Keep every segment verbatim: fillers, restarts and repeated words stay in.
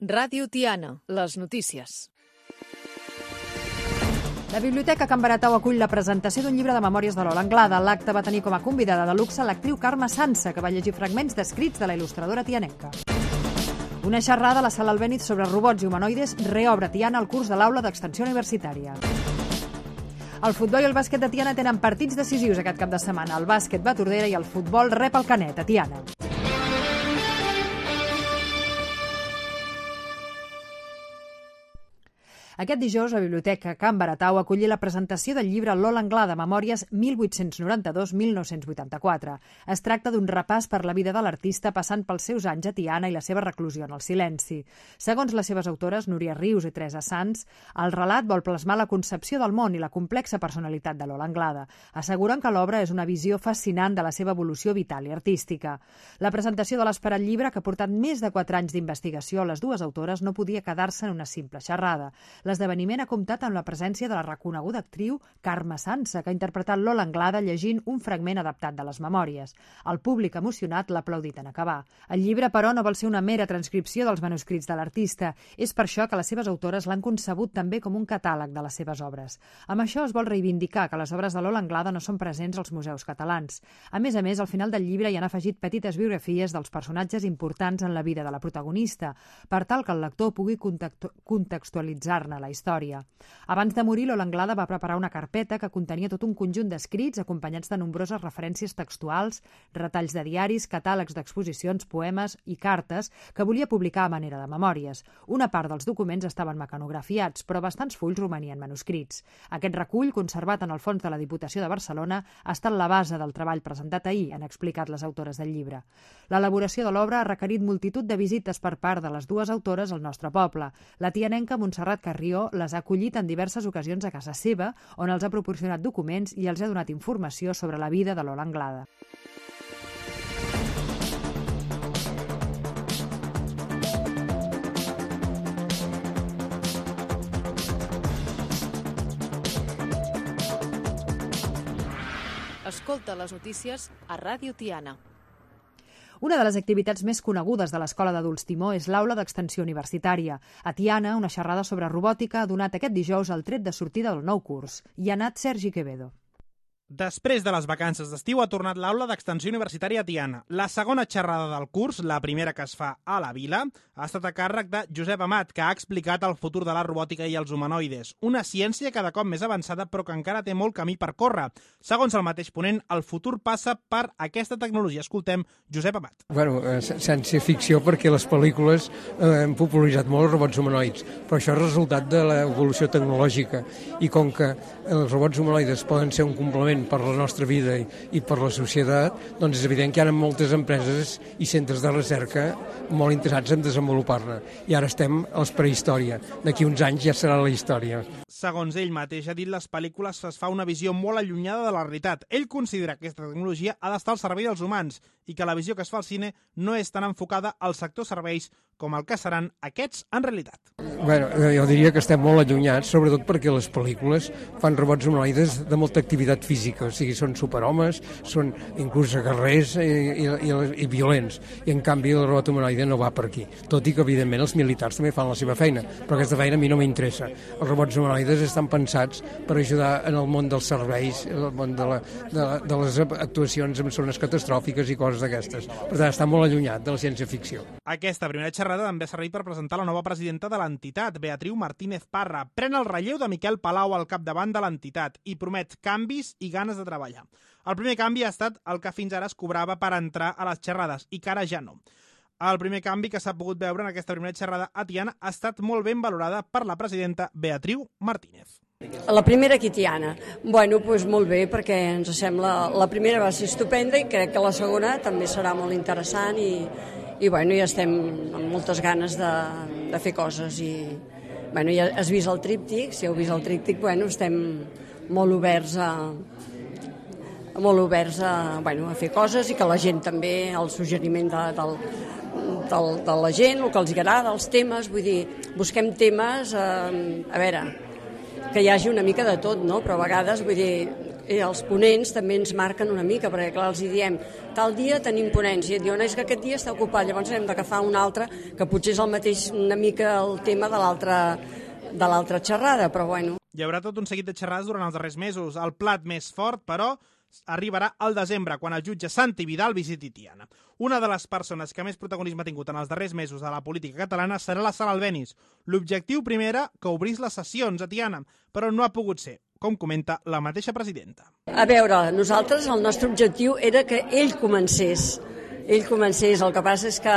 Ràdio Tiana, les notícies. La Biblioteca Can Baratau acull la presentació d'un llibre de memòries de Lola Anglada. L'acte va tenir com a convidada de luxe l'actriu Carme Sansa, que va llegir fragments d'escrits de la il·lustradora tianenca. Una xerrada a la Sala Albéniz sobre robots i humanoides reobre Tiana el curs de l'aula d'extensió universitària. El futbol i el bàsquet de Tiana tenen partits decisius aquest cap de setmana. El bàsquet va a Tordera i el futbol rep el Canet, a Tiana. Aquest dijous, la Biblioteca Can Baratau acolli la presentació del llibre Lola Anglada, Memòries mil vuit-cents noranta-dos a mil nou-cents vuitanta-quatre. Es tracta d'un repàs per la vida de l'artista passant pels seus anys a Tiana i la seva reclusió en el silenci. Segons les seves autores, Núria Rius i Teresa Sans, el relat vol plasmar la concepció del món i la complexa personalitat de Lola Anglada. Asseguren que l'obra és una visió fascinant de la seva evolució vital i artística. La presentació de l'esperat llibre, que ha portat més de quatre anys d'investigació a les dues autores, no podia quedar-se en una simple xerrada. L'esdeveniment ha comptat amb la presència de la reconeguda actriu Carme Sansa, que ha interpretat Lola Anglada llegint un fragment adaptat de les memòries. El públic emocionat l'ha aplaudit en acabar. El llibre, però, no vol ser una mera transcripció dels manuscrits de l'artista. És per això que les seves autores l'han concebut també com un catàleg de les seves obres. Amb això es vol reivindicar que les obres de Lola Anglada no són presents als museus catalans. A més a més, al final del llibre hi han afegit petites biografies dels personatges importants en la vida de la protagonista, per tal que el lector pugui contextualitzar-ne la història. Abans de morir, Lola Anglada va preparar una carpeta que contenia tot un conjunt d'escrits acompanyats de nombroses referències textuals, retalls de diaris, catàlegs d'exposicions, poemes i cartes que volia publicar a manera de memòries. Una part dels documents estaven mecanografiats, però bastants fulls romanien manuscrits. Aquest recull, conservat en el fons de la Diputació de Barcelona, ha estat la base del treball presentat ahir, han explicat les autores del llibre. L'elaboració de l'obra ha requerit multitud de visites per part de les dues autores al nostre poble. La tianenca Montserrat Carrió les ha acollit en diverses ocasions a casa seva, on els ha proporcionat documents i els ha donat informació sobre la vida de Lola Anglada. Escolta les notícies a Ràdio Tiana. Una de les activitats més conegudes de l'Escola d'Adults Timó és l'aula d'extensió universitària. A Tiana, una xerrada sobre robòtica ha donat aquest dijous el tret de sortida del nou curs. Hi ha anat Sergi Quevedo. Després de les vacances d'estiu ha tornat l'aula d'extensió universitària a Tiana. La segona xerrada del curs, la primera que es fa a la vila, ha estat a càrrec de Josep Amat, que ha explicat el futur de la robòtica i els humanoides. Una ciència cada cop més avançada però que encara té molt camí per córrer. Segons el mateix ponent, el futur passa per aquesta tecnologia. Escoltem Josep Amat. Bueno, ciència-ficció perquè les pel·lícules eh, han popularitzat molt els robots humanoids, però això és resultat de l'evolució tecnològica i com que els robots humanoides poden ser un complement per la nostra vida i, i per la societat, doncs és evident que hi ha moltes empreses i centres de recerca molt interessats en desenvolupar-ne. I ara estem a la prehistòria. D'aquí uns anys ja serà la història. Segons ell mateix ha dit, les pel·lícules es fa una visió molt allunyada de la realitat. Ell considera que aquesta tecnologia ha d'estar al servei dels humans i que la visió que es fa al cine no és tan enfocada al sector serveis com el que seran aquests en realitat. Bueno, jo diria que estem molt allunyats, sobretot perquè les pel·lícules fan robots humanoides de molta activitat física, o sigui, són superhomes, són inclús guerrers i, i, i, i violents, i en canvi el robot humanoide no va per aquí, tot i que evidentment els militars també fan la seva feina, però aquesta feina a mi no m'interessa. Els robots humanoides estan pensats per ajudar en el món dels serveis, el món de, la, de, la, de les actuacions en zones catastròfiques i coses d'aquestes. Per tant, està molt allunyat de la ciència-ficció. Aquesta primera xerrada també ha servit per presentar la nova presidenta de l'entitat, Beatriu Martínez Parra. Pren el relleu de Miquel Palau al capdavant de l'entitat i promet canvis i ganes de treballar. El primer canvi ha estat el que fins ara es cobrava per entrar a les xerrades i que ara ja no. El primer canvi que s'ha pogut veure en aquesta primera xerrada a Tiana ha estat molt ben valorada per la presidenta Beatriu Martínez. La primera aquí Tiana, bueno, doncs molt bé, perquè ens sembla, la primera va ser estupenda i crec que la segona també serà molt interessant i, i bueno, ja estem amb moltes ganes de, de fer coses i bueno, ja has vist el tríptic, si heu vist el tríptic, bueno, estem molt oberts a molt oberts a, bueno, a fer coses i que la gent també, el suggeriment de, del, del, de la gent, el que els agrada, els temes, vull dir, busquem temes, eh, a veure, que hi hagi una mica de tot, no? Però a vegades, vull dir, i els ponents també ens marquen una mica, perquè clar, els hi diem, tal dia tenim ponència, i diuen, és que aquest dia està ocupat, llavors hem d'agafar un altre, que potser és el mateix una mica el tema de l'altra de l'altra xerrada, però bueno. Hi haurà tot un seguit de xerrades durant els darrers mesos. El plat més fort, però, arribarà al desembre, quan el jutge Santi Vidal visiti Tiana. Una de les persones que més protagonisme ha tingut en els darrers mesos de la política catalana serà la Sala Albéniz. L'objectiu primer era que obrís les sessions a Tiana, però no ha pogut ser, com comenta la mateixa presidenta. A veure, nosaltres el nostre objectiu era que ell comencés. Ell comencés, el que passa és que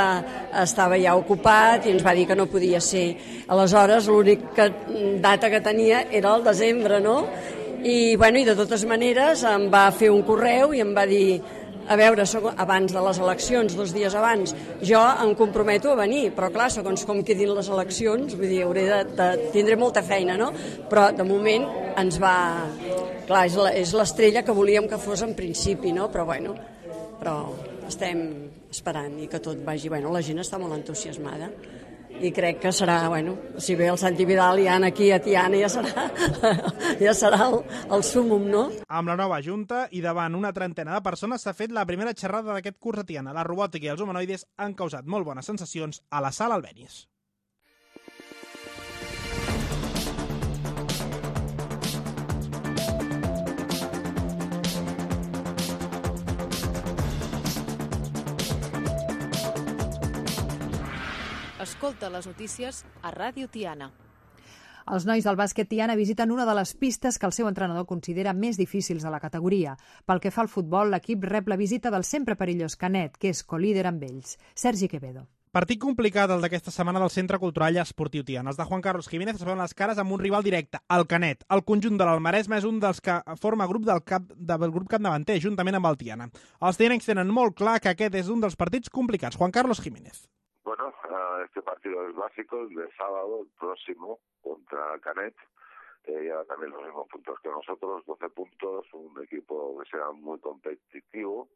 estava ja ocupat i ens va dir que no podia ser. Aleshores, l'única data que tenia era el desembre, no? I, bueno, i de totes maneres em va fer un correu i em va dir, a veure, abans de les eleccions, dos dies abans, jo em comprometo a venir, però clar, segons com quedin les eleccions, vull dir, hauré de, de tindré molta feina, no? Però de moment ens va... Clar, és l'estrella que volíem que fos en principi, no? Però bueno, però estem esperant i que tot vagi... Bueno, la gent està molt entusiasmada i crec que serà, bueno, si ve el Santi Vidal i aquí a Tiana ja serà, ja serà el, el súmum, no? Amb la nova junta i davant una trentena de persones s'ha fet la primera xerrada d'aquest curs a Tiana. La robòtica i els humanoides han causat molt bones sensacions a la Sala Albéniz. Escolta les notícies a Ràdio Tiana. Els nois del bàsquet Tiana visiten una de les pistes que el seu entrenador considera més difícils de la categoria. Pel que fa al futbol, l'equip rep la visita del sempre perillós Canet, que és colíder amb ells. Sergi Quevedo. Partit complicat el d'aquesta setmana del Centre Cultural i Esportiu Tiana. Els de Juan Carlos Jiménez es veuen les cares amb un rival directe, el Canet. El conjunt de l'Almaresme és un dels que forma grup del, cap, del grup capdavanter, juntament amb el Tiana. Els tianencs tenen molt clar que aquest és un dels partits complicats. Juan Carlos Jiménez. Bueno, uh, este partido es básico, el de sábado, el próximo, contra Canet. Eh, lleva también los mismos puntos que nosotros, doce puntos, un equipo que será muy competitivo.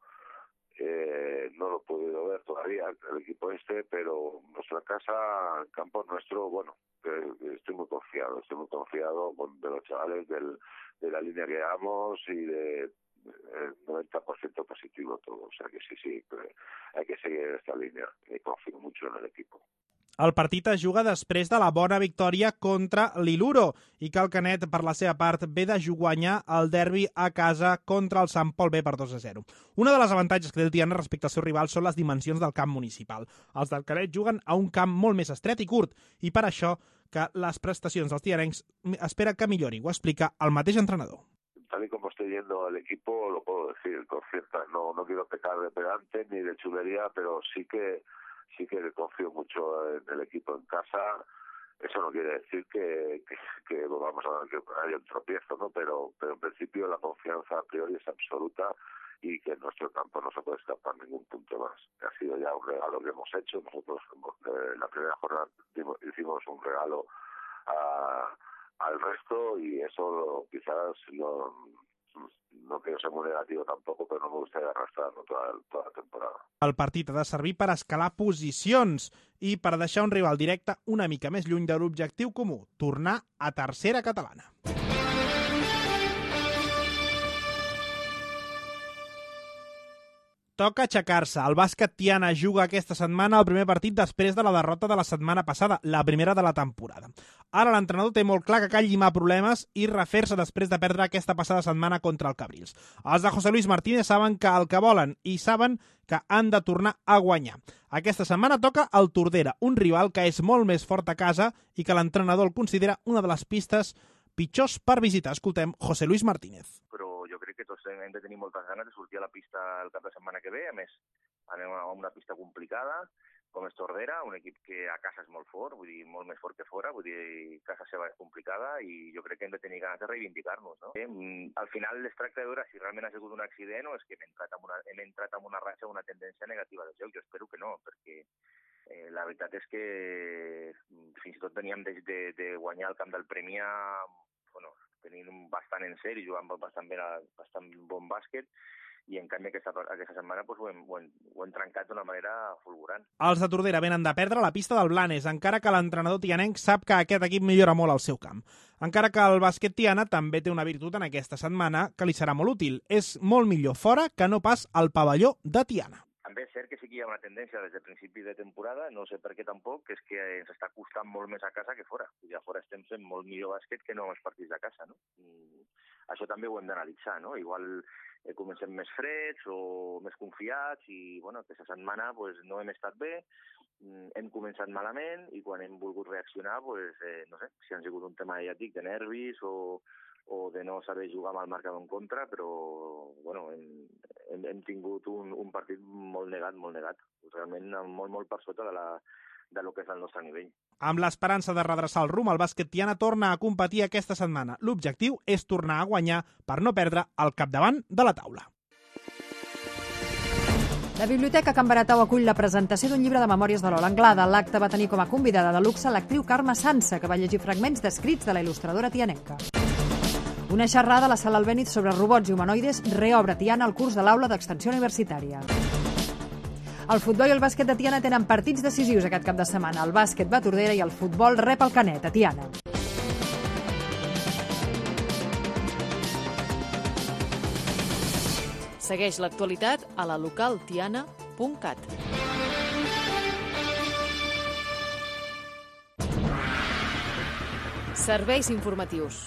Eh, no lo he podido ver todavía, el equipo este, pero nuestra casa, el campo nuestro, bueno, eh, estoy muy confiado, estoy muy confiado con, de los chavales, del, de la línea que llevamos y de... el noventa por ciento positivo todo, o sea que sí, sí, hay que seguir esta línea y confío mucho en el equipo. El partit es juga després de la bona victòria contra l'Iluro i que el Canet, per la seva part, ve de guanyar el derbi a casa contra el Sant Pol B per dos a zero. Una de les avantatges que té el Tiana respecte al seu rival són les dimensions del camp municipal. Els del Canet juguen a un camp molt més estret i curt i per això que les prestacions dels tianencs espera que millori, ho explica el mateix entrenador. Tal y como estoy yendo el equipo, lo puedo decir con cierta, no, no quiero pecar de pedante ni de chulería, pero sí que sí que confío mucho en el equipo en casa. Eso no quiere decir que, que, que vamos a que haya un tropiezo, ¿no? Pero, pero en principio la confianza a priori es absoluta y que en nuestro campo no se puede escapar ningún punto más. Ha sido ya un regalo que hemos hecho. Nosotros eh, en la primera jornada hicimos un regalo a al resto y eso quizás no, no quiero ser muy negativo tampoco, però no me gustaría arrastrar-lo toda, toda la temporada. El partit ha de servir per escalar posicions i per deixar un rival directe una mica més lluny de l'objectiu comú, tornar a tercera catalana. Toca aixecar-se. El bàsquet Tiana juga aquesta setmana el primer partit després de la derrota de la setmana passada, la primera de la temporada. Ara l'entrenador té molt clar que cal llimar problemes i refer-se després de perdre aquesta passada setmana contra el Cabrils. Els de José Luis Martínez saben que el que volen i saben que han de tornar a guanyar. Aquesta setmana toca el Tordera, un rival que és molt més fort a casa i que l'entrenador el considera una de les pistes pitjors per visitar. Escoltem José Luis Martínez. Però jo crec que tots hem de tenir moltes ganes de sortir a la pista el cap de setmana que ve. A més, anem a una pista complicada, com és Tordera, un equip que a casa és molt fort, vull dir, molt més fort que fora, vull dir, casa seva és complicada i jo crec que hem de tenir ganes de reivindicar-nos, no? Eh, al final es tracta de veure si realment ha sigut un accident o és que hem entrat amb una, hem entrat amb una ratxa, una tendència negativa de joc. Jo espero que no, perquè eh, la veritat és que fins i tot veníem de, de, de guanyar el camp del Premià, bueno, tenint bastant en sèrie, jugant bastant, bé, bastant bon bàsquet, i en canvi aquesta, aquesta setmana doncs, ho, hem, ho, hem, ho hem trencat d'una manera fulgurant. Els de Tordera venen de perdre la pista del Blanes, encara que l'entrenador tianenc sap que aquest equip millora molt al seu camp. Encara que el bàsquet Tiana també té una virtut en aquesta setmana que li serà molt útil. És molt millor fora que no pas al pavelló de Tiana. També és cert que sí que hi ha una tendència des de principi de temporada, no sé per què tampoc, que és que ens està costant molt més a casa que fora. I a fora estem fent molt millor bàsquet que no els partits de casa, no? I això també ho hem d'analitzar, no? Igual eh, comencem més freds o més confiats i, bueno, aquesta setmana pues, no hem estat bé, hem començat malament i quan hem volgut reaccionar, pues, eh, no sé, si han sigut un tema, ja dic, de nervis o, o de no saber jugar amb el marcador en contra, però bueno, hem, hem, hem tingut un, un partit molt negat, molt negat, realment molt, molt per sota de, la, de lo que és el nostre nivell. Amb l'esperança de redreçar el rumb, el bàsquet Tiana torna a competir aquesta setmana. L'objectiu és tornar a guanyar per no perdre el capdavant de la taula. La Biblioteca Can Baratau acull la presentació d'un llibre de memòries de Lola Anglada. L'acte va tenir com a convidada de luxe l'actriu Carme Sansa, que va llegir fragments d'escrits de la il·lustradora tianenca. Una xerrada a la Sala Albéniz sobre robots i humanoides reobre Tiana al curs de l'aula d'extensió universitària. El futbol i el bàsquet de Tiana tenen partits decisius aquest cap de setmana. El bàsquet va a Tordera i el futbol rep el Canet, a Tiana. Segueix l'actualitat a la local tiana punt cat. Serveis informatius.